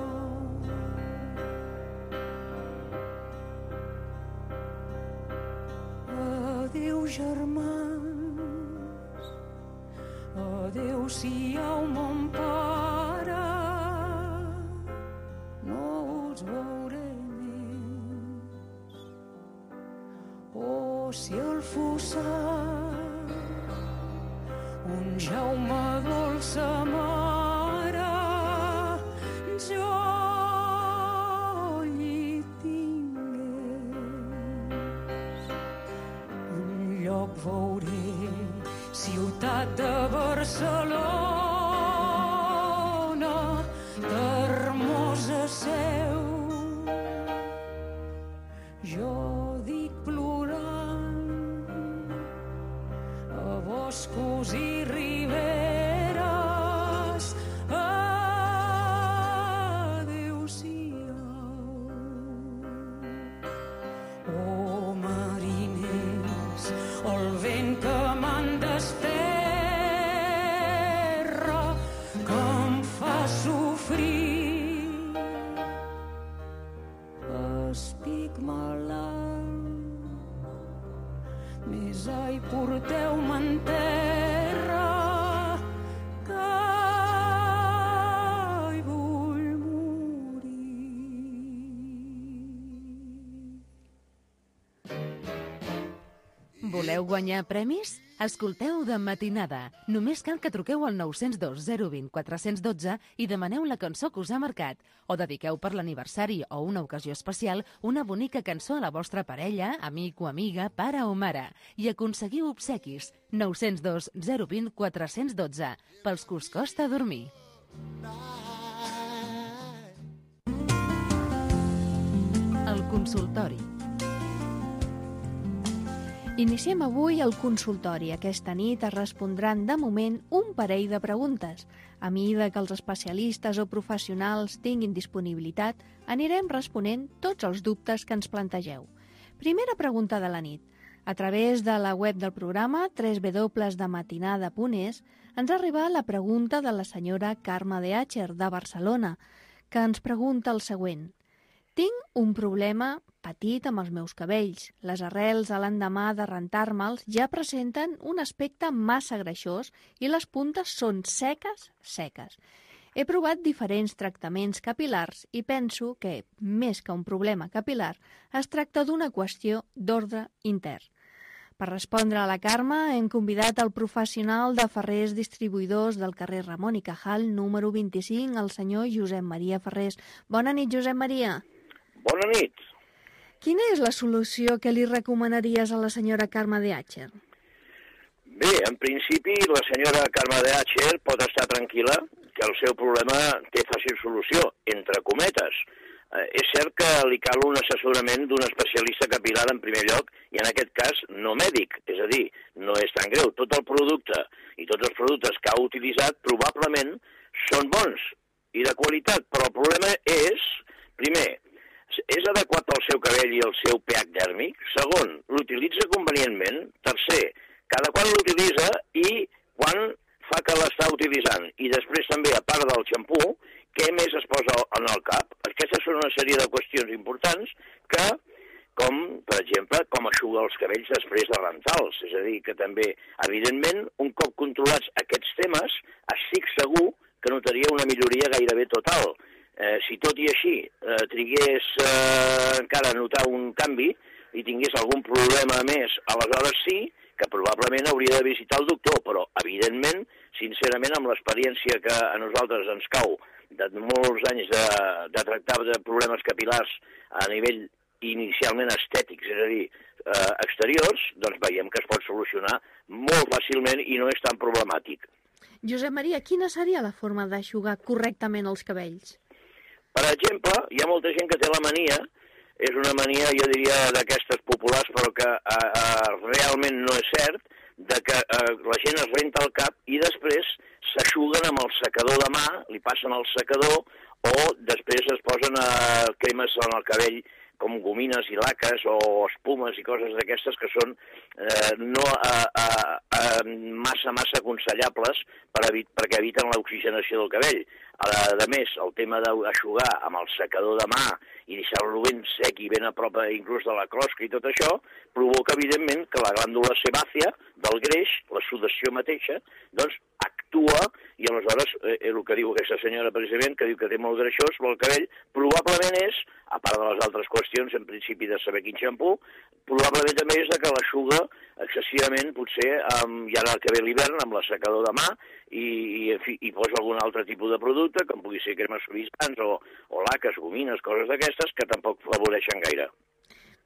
Adéu, germans, adéu-siau, mon pare, no us veuré més. Oh, si el fossat, un Jaume dolça mare, jo li tingués. Enlloc veuré ciutat de Barcelona, d'hermosa seu. Jo dic plorant a boscos i riberes, adéu-siau. Oh, mariners, el vent que m'han desterra, que em fa sofrir. Estic malalt, més ai, porteu-me en terra, que hi vull morir. Voleu guanyar premis? Escolteu De Matinada. Només cal que truqueu al 902 020 412 i demaneu la cançó que us ha marcat. O dediqueu per l'aniversari o una ocasió especial una bonica cançó a la vostra parella, amic o amiga, pare o mare. I aconseguiu obsequis. 902 020 412. Pels que us costa dormir. El consultori. Iniciem avui el consultori. Aquesta nit es respondran de moment un parell de preguntes. A mesura que els especialistes o professionals tinguin disponibilitat, anirem responent tots els dubtes que ens plantegeu. Primera pregunta de la nit. A través de la web del programa www.dematinada.es ens ha arribat la pregunta de la senyora Carme de Àcher, de Barcelona, que ens pregunta el següent. Tinc un problema petit amb els meus cabells. Les arrels a l'endemà de rentar-me'ls ja presenten un aspecte massa greixós i les puntes són seques. He provat diferents tractaments capilars i penso que, més que un problema capil·lar, es tracta d'una qüestió d'ordre intern. Per respondre a la Carme, hem convidat el professional de ferrers distribuïdors del carrer Ramon i Cajal, número 25, el senyor Josep Maria Ferrés. Bona nit, Josep Maria. Bona nit. Quina és la solució que li recomanaries a la senyora Carme de Àcher? Bé, en principi, la senyora Carme de Àcher pot estar tranquil·la que el seu problema té fàcil solució, entre cometes. És cert que li cal un assessorament d'un especialista capil·lar en primer lloc, i en aquest cas no mèdic, és a dir, no és tan greu. Tot el producte i tots els productes que ha utilitzat probablement són bons i de qualitat, però el problema és, primer, és adequat al seu cabell i al seu pH dèrmic? Segon, l'utilitza convenientment? Tercer, cada quan l'utilitza i quan fa que l'està utilitzant? I després també, a part del xampú, què més es posa en el cap? Aquestes són una sèrie de qüestions importants que, com, per exemple, com eixugar els cabells després de rentar-los. És a dir, que també, evidentment, un cop controlats aquests temes, estic segur que notaria una milloria gairebé total. Si tot i així trigués encara a notar un canvi, i tingués algun problema més, aleshores sí que probablement hauria de visitar el doctor, però evidentment, sincerament, amb l'experiència que a nosaltres ens cau de molts anys de tractar de problemes capil·lars a nivell inicialment estètics, és a dir, exteriors, doncs veiem que es pot solucionar molt fàcilment i no és tan problemàtic. Josep Maria, quina seria la forma d'aixugar correctament els cabells? Per exemple, hi ha molta gent que té la mania, és una mania, jo diria, d'aquestes populars, però que realment no és cert, de que la gent es renta el cap i després s'aixuguen amb el secador de mà, li passen el secador, o després es posen cremes en el cabell com gomines i laques o espumes i coses d'aquestes que són no massa aconsellables perquè eviten l'oxigenació del cabell. A més, el tema d'aixugar amb el secador de mà i deixar-lo ben sec i ben a prop inclús de la closca i tot això, provoca, evidentment, que la glàndula sebàcia del greix, la sudació mateixa, doncs actua i aleshores el que diu aquesta senyora precisament, que diu que té molt greixós el cabell, probablement és, a part de les altres qüestions, en principi de saber quin xampú, probablement també és que l'eixuga excessivament, potser, ja ara que ve l'hivern, amb l'assecador de mà i posa algun altre tipus de producte, com pugui ser cremes suavitzants o laques, gomines, coses d'aquestes, que tampoc favoreixen gaire.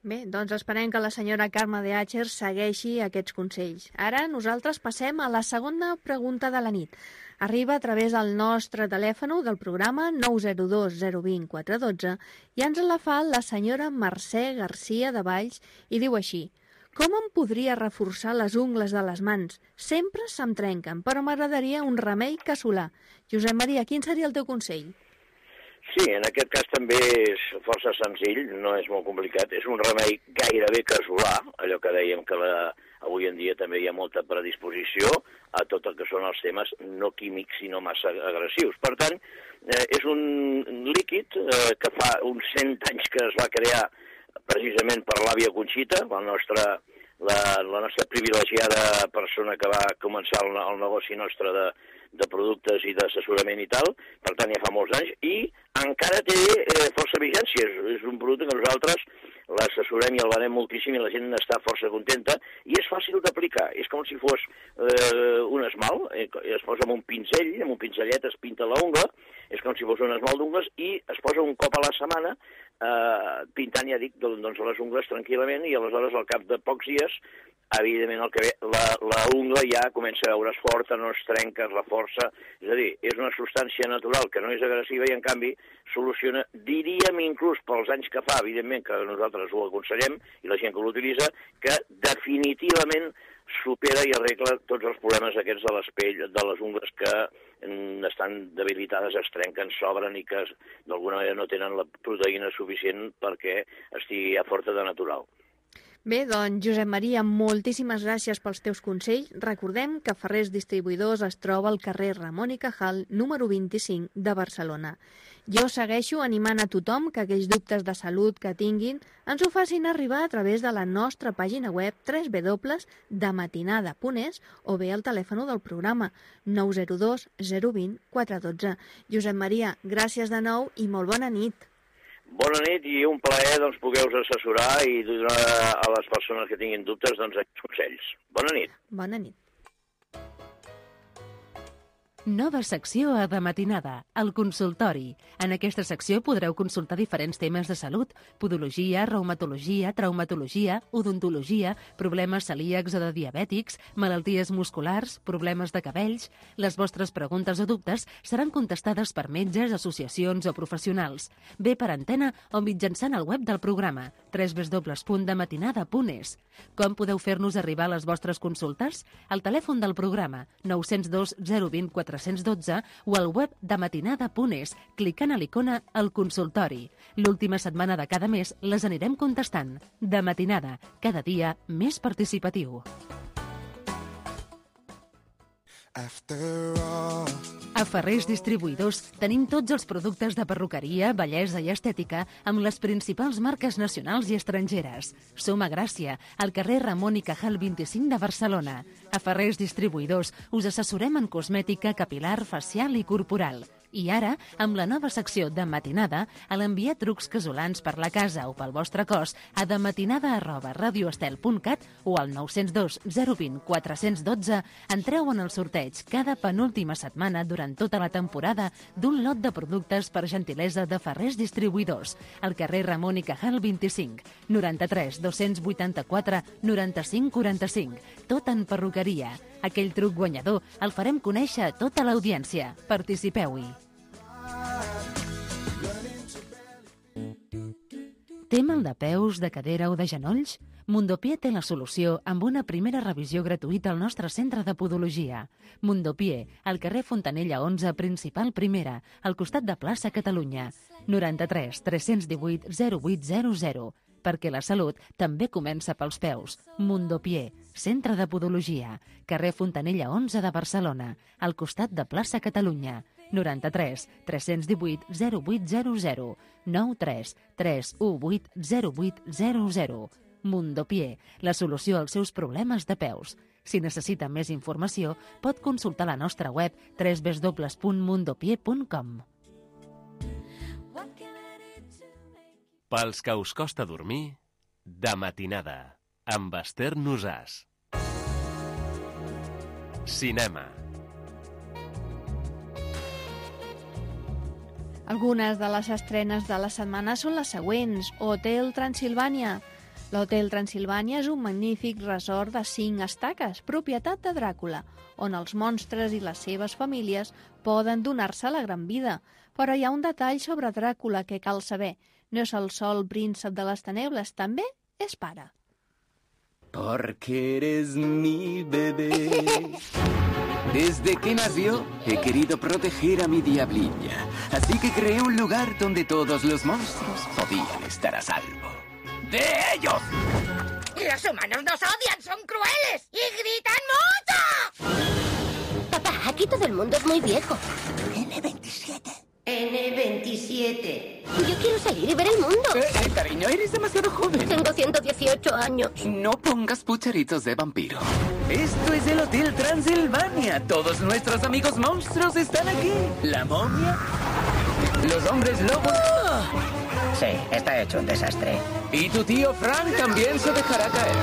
Bé, doncs esperem que la senyora Carme de Àcher segueixi aquests consells. Ara nosaltres passem a la segona pregunta de la nit. Arriba a través del nostre telèfon del programa 902 020 412 i ens la fa la senyora Mercè Garcia de Valls i diu així: com em podria reforçar les ungles de les mans? Sempre se'm trenquen, però m'agradaria un remei casolà. Josep Maria, quin seria el teu consell? Sí, en aquest cas també és força senzill, no és molt complicat. És un remei gairebé casolà, allò que dèiem que avui en dia també hi ha molta predisposició a tot el que són els temes no químics sinó massa agressius. Per tant, és un líquid que fa uns 100 anys que es va crear precisament per l'àvia Conxita, la nostra privilegiada persona que va començar el negoci nostre de productes i d'assessorament i tal, per tant ja fa molts anys, i encara té força vigència. És un producte que nosaltres l'assessorem i el venem moltíssim i la gent està força contenta i és fàcil d'aplicar. És com si fos un esmalt, es posa amb un pinzellet es pinta la ungla, és com si fos un esmalt d'ungles i es posa un cop a la setmana pintant, ja dic, doncs les ungles tranquil·lament i aleshores al cap de pocs dies evidentment el que ve, la ungla ja comença a veure's forta, no es trenca, es reforça, és a dir, és una substància natural que no és agressiva i en canvi soluciona, diríem inclús pels anys que fa, evidentment que nosaltres ho aconsellem i la gent que l'utilitza, que definitivament supera i arregla tots els problemes aquests de les pell, de les ungles que estan debilitades, es trenquen, s'obren i que d'alguna manera no tenen la proteïna suficient perquè estigui ja forta de natural. Bé, doncs, Josep Maria, moltíssimes gràcies pels teus consells. Recordem que Ferrers Distribuïdors es troba al carrer Ramon i Cajal, número 25 de Barcelona. Jo segueixo animant a tothom que aquells dubtes de salut que tinguin ens ho facin arribar a través de la nostra pàgina web www.dematinada.es o bé al telèfon del programa 902 020 412. Josep Maria, gràcies de nou i molt bona nit. Bona nit i un plaer poder-vos assessorar i donar a les persones que tinguin dubtes aquests consells. Bona nit. Bona nit. Nova secció a De Matinada, el consultori. En aquesta secció podreu consultar diferents temes de salut: podologia, reumatologia, traumatologia, odontologia, problemes celíacs o de diabètics, malalties musculars, problemes de cabells. Les vostres preguntes o dubtes seran contestades per metges, associacions o professionals, bé per antena o mitjançant el web del programa, www.dematinada.es. Com podeu fer-nos arribar les vostres consultes? Al telèfon del programa 902 020 412 o al web dematinada.es, clicant a l'icona El consultori. L'última setmana de cada mes les anirem contestant. De Matinada, cada dia més participatiu. A Ferrers Distribuïdors tenim tots els productes de perruqueria, bellesa i estètica amb les principals marques nacionals i estrangeres. Som a Gràcia, al carrer Ramon i Cajal 25 de Barcelona. A Ferrers Distribuïdors us assessorem en cosmètica, capil·lar, facial i corporal. I ara, amb la nova secció de Matinada, a l'enviar trucs casolans per la casa o pel vostre cos a dematinada@radioestel.cat o al 902 020 412 entreu en el sorteig cada penúltima setmana durant tota la temporada d'un lot de productes per gentilesa de Ferrers Distribuïdors, al carrer Ramon i Cajal 25, 93 284 95 45, tot en perruqueria. Aquell truc guanyador el farem conèixer a tota l'audiència. Participeu-hi. Té mal de peus, de cadera o de genolls? Mundopié té la solució amb una primera revisió gratuïta al nostre centre de podologia. Mundopié, al carrer Fontanella 11, principal primera, al costat de Plaça Catalunya. 93 318 0800. Perquè la salut també comença pels peus. Mundopié, centre de podologia, carrer Fontanella 11 de Barcelona, al costat de Plaça Catalunya. 93 318 0800 93 318 0800. Mundopié, la solució als seus problemes de peus. Si necessita més informació, pot consultar la nostra web www.mundopié.com. Pels que us costa dormir, de matinada, amb Esther Nosàs. Cinema. Algunes de les estrenes de la setmana són les següents. Hotel Transilvània. L'Hotel Transilvània és un magnífic resort de 5 estaques, propietat de Dràcula, on els monstres i les seves famílies poden donar-se la gran vida. Però hi ha un detall sobre Dràcula que cal saber. No és el sol príncep de les tenebres, també és pare. Porque eres mi bebé. Desde que nació he querido proteger a mi diablilla, así que creé un lugar donde todos los monstruos podían estar a salvo. ¡De ellos! ¡Los humanos nos odian! ¡Son crueles! ¡Y gritan mucho! Papá, aquí todo el mundo es muy viejo. N27. N27. Yo quiero salir y ver el mundo. Cariño, eres demasiado joven. Tengo 118 años. No pongas pucheritos de vampiro. Esto es el Hotel Transilvania. Todos nuestros amigos monstruos están aquí. La momia, los hombres lobos. Sí, está hecho un desastre. Y tu tío Frank también se dejará caer.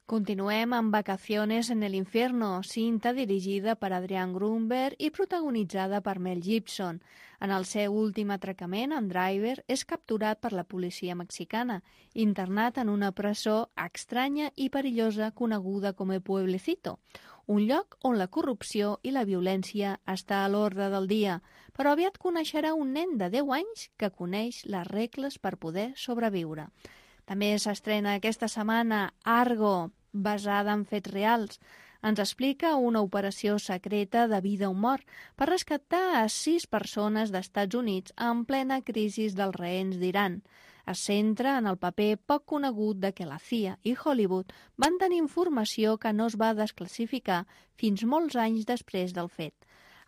Continuem amb Vacaciones en el Infierno, cinta dirigida per Adrian Grunberg i protagonitzada per Mel Gibson. En el seu últim atracament, en Driver és capturat per la policia mexicana, internat en una presó estranya i perillosa coneguda com el Pueblecito, un lloc on la corrupció i la violència està a l'ordre del dia, però aviat coneixerà un nen de 10 anys que coneix les regles per poder sobreviure. També s'estrena aquesta setmana Argo, basada en fets reals. Ens explica una operació secreta de vida o mort per rescatar a 6 persones d'Estats Units en plena crisi dels rehens d'Iran. Es centra en el paper poc conegut de que la CIA i Hollywood van tenir informació que no es va desclassificar fins molts anys després del fet.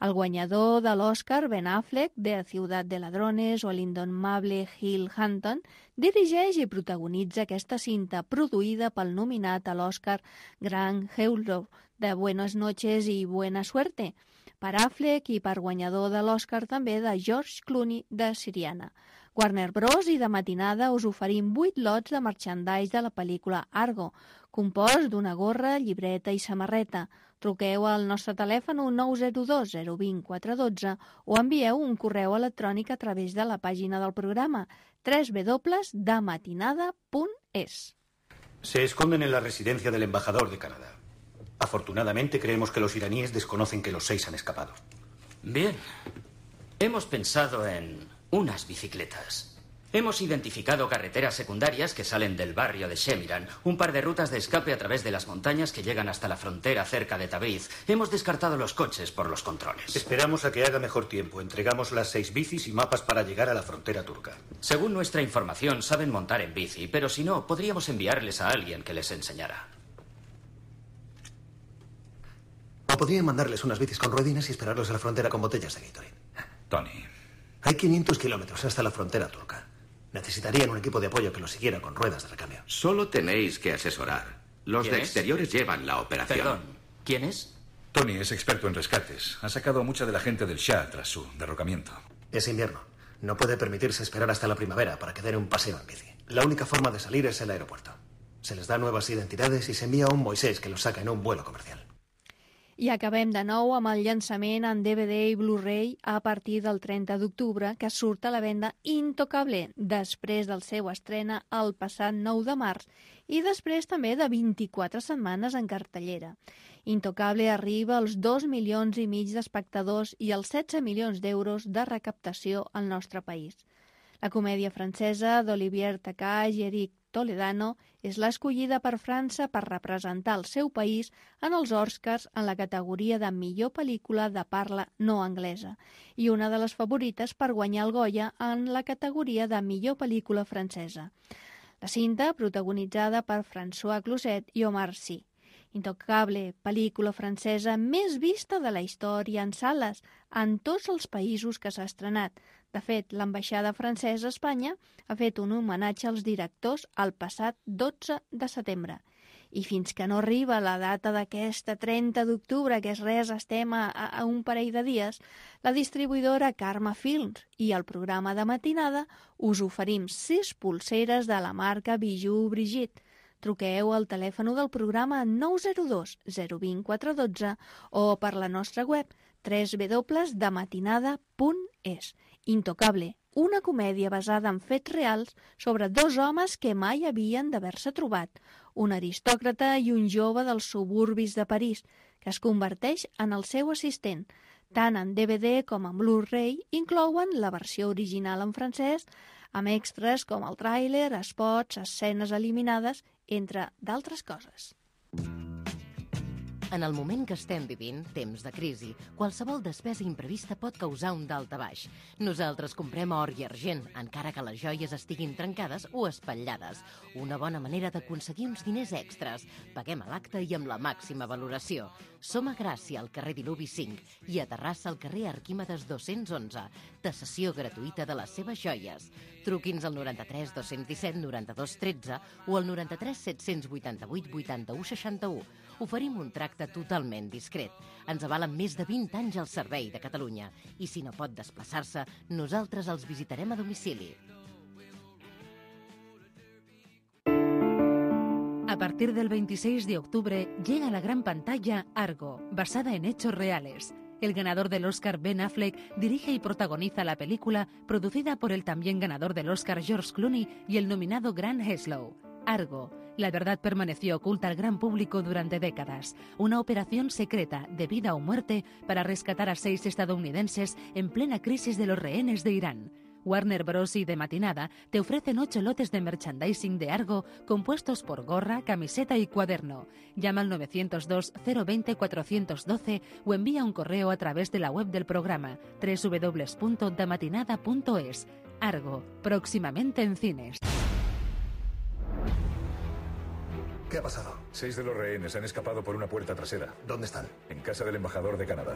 El guanyador de l'Oscar, Ben Affleck, de Ciutat de Ladrones, o l'indomable Hill Hunton, dirigeix i protagonitza aquesta cinta produïda pel nominat a l'Oscar Grant Heusler, de Buenas noches i buena suerte, per Affleck i per guanyador de l'Oscar també de George Clooney de Siriana. Warner Bros. I de matinada us oferim 8 lots de merchandise de la pel·lícula Argo, compost d'una gorra, llibreta i samarreta. Truqueu al nostre telèfon 902 020 412 o envieu un correu electrònic a través de la pàgina del programa www.dematinada.es. Se esconden en la residencia del embajador de Canadá. Afortunadamente creemos que los iraníes desconocen que los 6 han escapado. Bien. Hemos pensado en unas bicicletas. Hemos identificado carreteras secundarias que salen del barrio de Shemiran, un par de rutas de escape a través de las montañas que llegan hasta la frontera cerca de Tabriz. Hemos descartado los coches por los controles. Esperamos a que haga mejor tiempo. Entregamos las 6 bicis y mapas para llegar a la frontera turca. Según nuestra información, saben montar en bici, pero si no, podríamos enviarles a alguien que les enseñara. O podrían mandarles unas bicis con ruedines y esperarlos a la frontera con botellas de Gatorade. Tony. Hay 500 kilómetros hasta la frontera turca. Necesitarían un equipo de apoyo que los siguiera con ruedas de recambio. Solo tenéis que asesorar. Los de ¿Quién es? exteriores llevan la operación. Perdón, ¿quién es? Tony es experto en rescates. Ha sacado a mucha de la gente del Shah tras su derrocamiento. Es invierno. No puede permitirse esperar hasta la primavera para que den un paseo en bici. La única forma de salir es el aeropuerto. Se les da nuevas identidades i s'envia un Moisés que los saca en un vuelo comercial. I acabem de nou amb el llançament en DVD i Blu-ray a partir del 30 d'octubre, que surt a la venda Intocable, després del seu estrena el passat 9 de març i després també de 24 setmanes en cartellera. Intocable arriba als 2,5 milions d'espectadors i als 16 milions d'euros de recaptació al nostre país. La comèdia francesa d'Olivier Takacs i Eric Toledano és l'escollida per França per representar el seu país en els Oscars en la categoria de millor pel·lícula de parla no anglesa i una de les favorites per guanyar el Goya en la categoria de millor pel·lícula francesa. La cinta, protagonitzada per François Cluzet i Omar Sy. Intocable, pel·lícula francesa més vista de la història en sales en tots els països que s'ha estrenat. De fet, l'ambaixada francesa a Espanya ha fet un homenatge als directors el passat 12 de setembre. I fins que no arriba la data d'aquesta 30 d'octubre, que és res, estem a un parell de dies, la distribuïdora Karma Films i el programa de matinada us oferim 6 pulseres de la marca Bijou Brigitte. Truqueu al telèfon del programa 902 020 412 o per la nostra web www.dematinada.es. Intocable, una comèdia basada en fets reals sobre 2 homes que mai havien d'haver-se trobat, un aristòcrata i un jove dels suburbis de París, que es converteix en el seu assistent. Tant en DVD com en Blu-ray inclouen la versió original en francès, amb extras com el tràiler, spots, escenes eliminades, entre d'altres coses. En el moment que estem vivint, temps de crisi, qualsevol despesa imprevista pot causar un daltabaix. Nosaltres comprem or i argent, encara que les joies estiguin trencades o espatllades. Una bona manera d'aconseguir uns diners extras. Paguem a l'acte i amb la màxima valoració. Som a Gràcia, al carrer Diluvi 5, i a Terrassa, al carrer Arquímedes 211. Tasació gratuïta de les seves joies. Truqui'ns al 93 217 92 13 o al 93 788 81 61. Oferim un tracte totalment discret. Ens avalen més de 20 anys al servei de Catalunya. I si no pot desplaçar-se, nosaltres els visitarem a domicili. A partir del 26 de octubre llega a la gran pantalla Argo, basada en hechos reales. El ganador del Oscar Ben Affleck dirige y protagoniza la película, producida por el también ganador del Oscar George Clooney y el nominado Grant Heslov. Argo. La verdad permaneció oculta al gran público durante décadas. Una operación secreta de vida o muerte para rescatar a 6 estadounidenses en plena crisis de los rehenes de Irán. Warner Bros. Y de Matinada te ofrecen 8 lotes de merchandising de Argo compuestos por gorra, camiseta y cuaderno. Llama al 902 020 412 o envía un correo a través de la web del programa www.damatinada.es. Argo, próximamente en cines. ¿Qué ha pasado? 6 de los rehenes han escapado por una puerta trasera. ¿Dónde están? En casa del embajador de Canadá.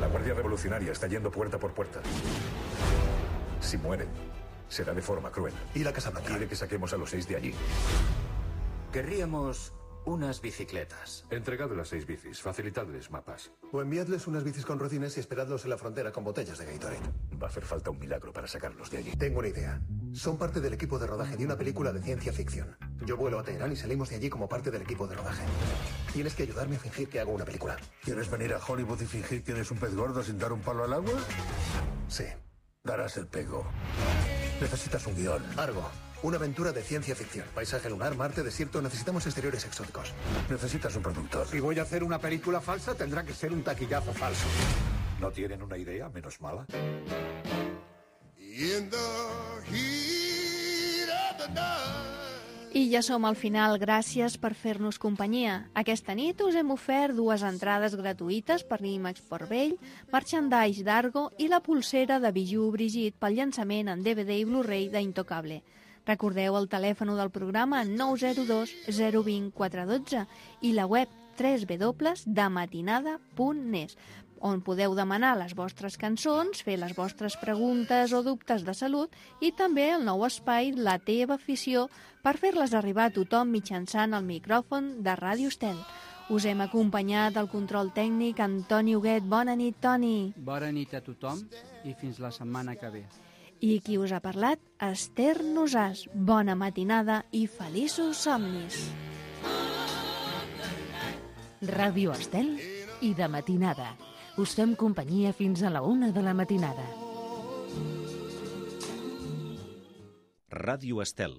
La Guardia Revolucionaria está yendo puerta por puerta. Si mueren, será de forma cruel. ¿Y la Casa Blanca? Quiere que saquemos a los 6 de allí. Querríamos unas bicicletas. Entregad las 6 bicis, facilitadles mapas. O enviadles unas bicis con rocines y esperadlos en la frontera con botellas de Gatorade. Va a hacer falta un milagro para sacarlos de allí. Tengo una idea. Son parte del equipo de rodaje de una película de ciencia ficción. Yo vuelo a Teherán y salimos de allí como parte del equipo de rodaje. Tienes que ayudarme a fingir que hago una película. ¿Quieres venir a Hollywood y fingir que eres un pez gordo sin dar un palo al agua? Sí. Darás el pego. Necesitas un guión. Argo. Una aventura de ciencia ficción. Paisaje lunar, Marte, desierto. Necesitamos exteriores exóticos. Necesitas un productor. Si voy a hacer una película falsa, tendrá que ser un taquillazo falso. ¿No tienen una idea menos mala? I ja som al final. Gràcies per fer-nos companyia. Aquesta nit us hem ofert 2 entrades gratuïtes per l'IMAX Port Vell, merchandise d'Argo i la pulsera de Bijou Brigitte pel llançament en DVD i Blu-ray d'Intocable. Recordeu el telèfon del programa 902 020 412 i la web www.dematinada.es, on podeu demanar les vostres cançons, fer les vostres preguntes o dubtes de salut i també el nou espai La teva afició per fer-les arribar a tothom mitjançant el micròfon de Ràdio Estel. Us hem acompanyat al control tècnic Antoni Huguet. Bona nit, Toni. Bona nit a tothom i fins la setmana que ve. I qui us ha parlat? Esther Nosàs. Bona matinada i feliços somnis. Ràdio Estel i de matinada. Us fem companyia fins a la 1 de la matinada. Ràdio Estel.